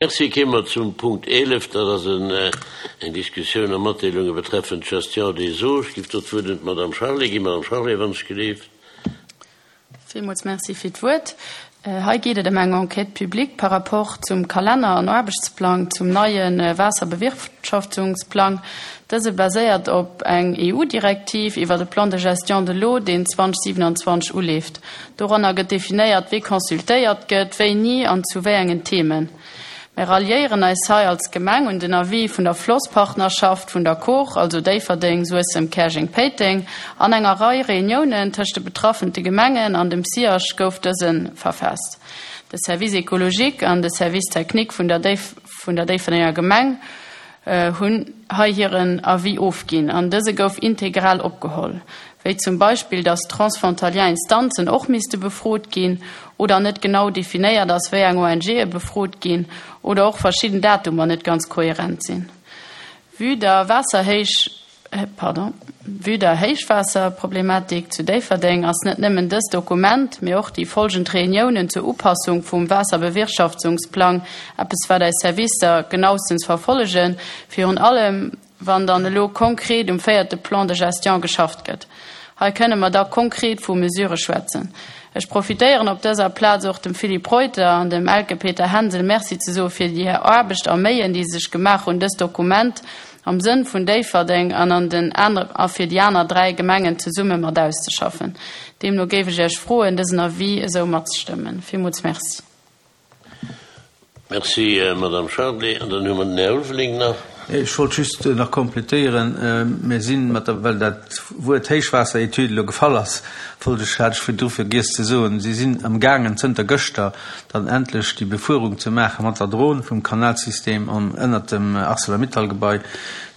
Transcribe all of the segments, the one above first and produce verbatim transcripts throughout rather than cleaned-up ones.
Merci. Kéime mer zum Punkt eelef, dat ass eng Diskussioun a Matdeelunge betreffend d'Gestion des eaux. Ech géif do d'Wuert un d'Madame Charlé ginn. Madame Charlé, wann ech gelift. Villmools Merci fir d'Wuert. Hei geet et ëm eng Enquête publique par rapport zum Kalenner an Aarbechtsplang zum neie Waasserbewirtschaftungsplang. Dëse baséiert op eng E U-Direktiv iwwer de Plan de gestion de l'eau, deen zweedausendsiwenanzwanzeg uleeft. Doranner gëtt definéiert, wie consultéiert gëtt, wéini an zu wéi engen Themen. Mir ralliéieren eis hei als Gemeng un den Avis vun der Flosspartnerschaft vun der Kor, also Déifferdeng, Suessem, Käerjeng, Péiteng. An enger Rei Reuniounen tëscht de betraffene Gemengen an dem SIAG gouf dëse verfaasst. De Service écologique an de Service technique vun der, Déif vun der Déifferdenger Gemeng hunn hei hiren Avis ofginn an dëse gouf integral opgeholl. Wéi zum Beispill, dass transfrontalier Instanzen och misste befrot ginn oder net genau definéiert ass, wéi eng O N G befrot ginn oder och verschidden Datumer net ganz kohärent sinn. Vue der Waasserhéich pardon, vue der Héichwaasserproblematik zu Déifferdeng ass net nëmmen dëst Dokument, mee och déi folgend Reuniounen zur Upassung vum Waasserbewirtschaftungsplang eppes wat eis Servicer genauestens verfollegen, virun allem wann dann elo konkret um véierte Plan de gestion geschafft gëtt. Hei kënne mer da konkret vu Mesure schwätzen. Ech profitéieren op dëser Plaz och dem Philippe Reuter an dem Elke Peter Hänsel Merci ze soe fir déi Aarbecht a Méien, déi sech gemaach hunn dëst Dokument am Sënn vun Déifferdeng an an den aner, a fir déi aner dräi Gemengen zesumme mat auszeschaffen. Deemno géif ech Iech froen, dësen Avis esou matzestëmmen. Villmools Merci. Merci, äh, Madame Charlé. An dann hu mer den Här Ulveling nach. Ech wollt just nach komplettéieren, mir sinn mat der well dat Wuert Héichwaasseretüd elo gefall ass, wollt ech hat ech virdru vergiess ze soen, si sinn am gaangen zënter gëschter dann endlech déi Befuerung ze maache mat der Dron vum Kanalsystem am ënnert dem ArcelorMittal-Gebai.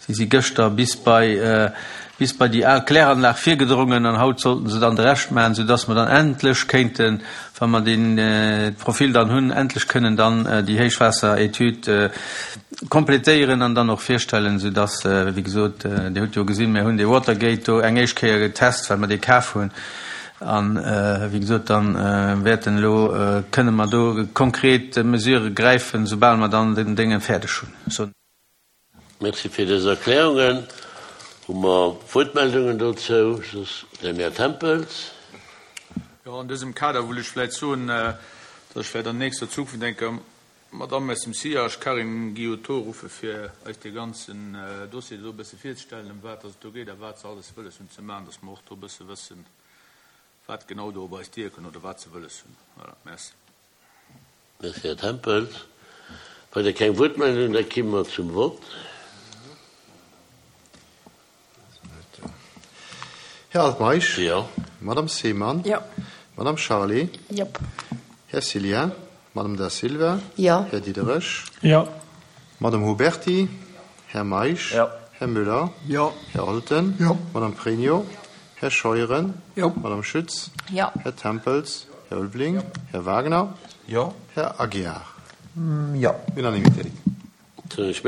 Si si gëschter bis bei äh, bis bei déi al Kläranlag virgedrongen an haut sollten se dann de Rescht maachen, soudass mer dann endlech kéinten, wa mer den äh, Profil dann hunn, endlech kënnen dann äh, déi Héichwaasseretüd äh, komplettéieren an dann och virstellen, soudass äh, wéi gesot, äh, Dir hutt jo gesinn, mir hunn de Watergate do eng éischt Kéier getest, well mer dee kaf hunn. An äh, wéi gesot, dann äh, wäerten elo äh, kënne mer do konkret Mesure gräifen, soubal mer dann den Dénge fäerdeg hunn. So. Merci fir dës Erklärungen. Hu mer Wuertmeldungen dozou? Soss den Här Tempels. Jo, an dësem Kader wëll ech vläicht soen, äh, dass ech vläicht an nächster Zukunft denke Madame aus dem SIAG Karin Guillotot ruffe fir eis de ganzen äh, Dossier do e bësse virzestellen, ëm wat et do geet a wat se alles wëlles hunn ze maachen, dass mer och do e bësse wëssen, wat genau do bei eis dierken oder wat se wëlles hunn. Voilà, merci. Merci, Här Tempels. Weider keng Wuertmeldung, da komme mer zum Vott. Här Altmeisch. Jo. Madame Seemann. Jo. Madame Charlé. Jop. Här Cilien. Madame Da Silva. Jo. Här Diderich. Jo. Madame Huberti. Här Meisch. Jo. Här Müller. Jo. Här Olten. Jo. Madame Pregno. Här Scheuren. Jo. Madame Schütz. Jo. Här Tempels. Här Ulveling. Här Wagner. Jo. Här Aguiar. Jo. Unanimitéit. Ech